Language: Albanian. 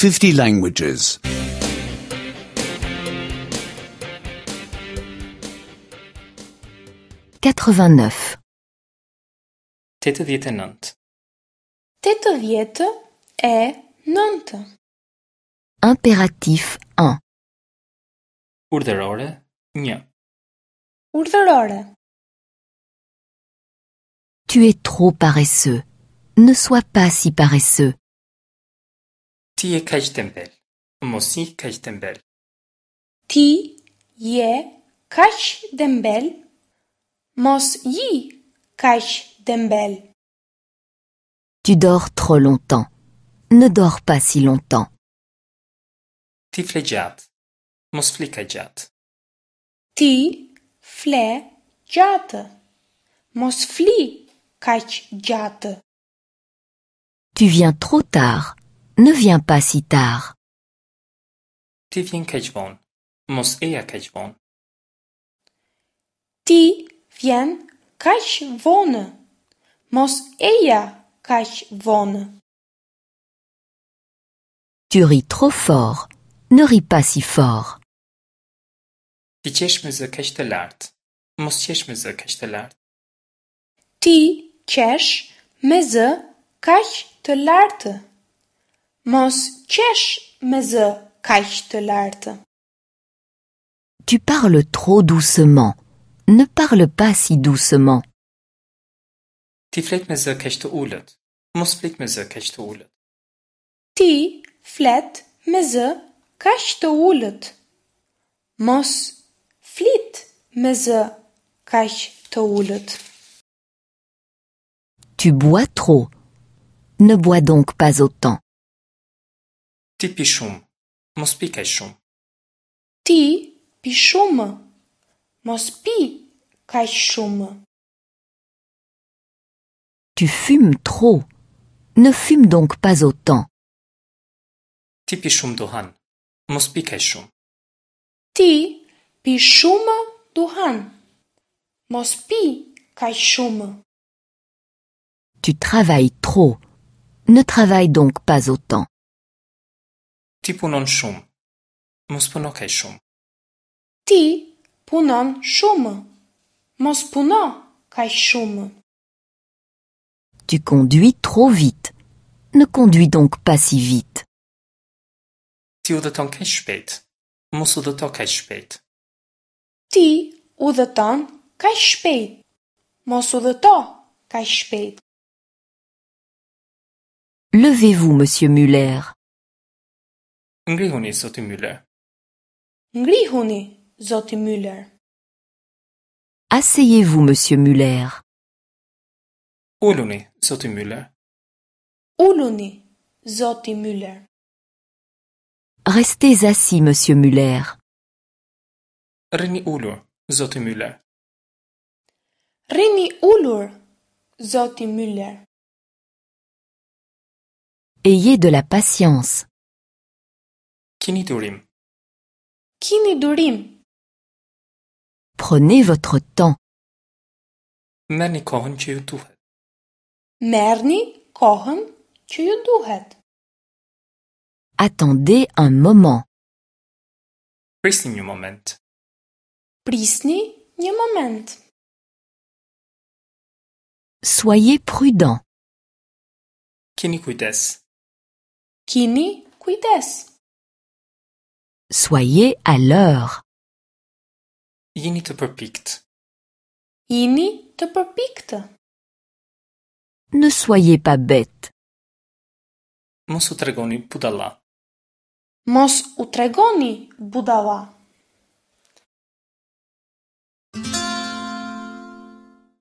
50 languages. 89. 89. 89. Impératif 1. Urdhërore 1. Urdhërore. Tu es trop paresseux. Ne sois pas si paresseux. Ti je kaq tembel. Mos ji kaq tembel. Ti je kaq dembel. Mos ji kaq dembel. Tu dors trop longtemps. Ne dors pas si longtemps. Ti fle gjatë. Mos fli kaq gjatë. Ti fle gjatë. Mos fli kaq gjatë. Tu viens trop tard. Ne viens pas si tard. Ti vjen kaq vonë. Mos eja kaq vonë. Ti vjen kaq vonë. Mos eja kaq vonë. Tu ris trop fort. Ne ris pas si fort. Ti qesh me zë kaq të lartë. Mos qesh me zë kaq të lartë. Ti qesh me zë kaq të lartë. Mos qesh me zë kaq të lartë. Tu parles trop doucement. Ne parle pas si doucement. Ti flet me zë kaq të ulët. Mos flit me zë kaq të ulët. Ti flet me zë kaq të ulët. Mos flit me zë kaq të ulët. Tu bois trop. Ne bois donc pas autant. Ti pi shumë. Mos pi kaq shumë. Ti pi shumë. Mos pi kaq shumë. Tu fumes trop. Ne fume donc pas autant. Ti pi shumë duhan. Mos pi kaq shumë. Ti pi shumë duhan. Mos pi kaq shumë. Tu travailles trop. Ne travaille donc pas autant. Ti punon shumë. Mos puno kaq shumë. Ti punon shumë. Mos puno kaq shumë. Tu conduis trop vite. Ne conduis donc pas si vite. Ti udhëton kaq shpejt. Mos udhëto kaq shpejt. Ti udhëton kaq shpejt. Mos udhëto kaq shpejt. Levez-vous, monsieur Muller. Ngrihuni, zoti Müller. Ngrihuni, zoti Müller. Asseyez-vous, monsieur Muller. Uluni, zoti Müller. Uluni, zoti Müller. Restez assis, monsieur Muller. Rrini ulur, zoti Müller. Rrini ulur, zoti Müller. Ayez de la patience. Kini durim. Kini durim. Prenez votre temps. Merrni kohën që ju duhet. Merrni kohën që ju duhet. Attendez un moment. Prisni një moment. Prisni një moment. Soyez prudent. Kini kujdes. Kini kujdes. Soyez à l'heure. Jini të përpikt. Jini të përpiktë. Ne soyez pas bête. Mos u tregoni budalla. Mos u tregoni budalla.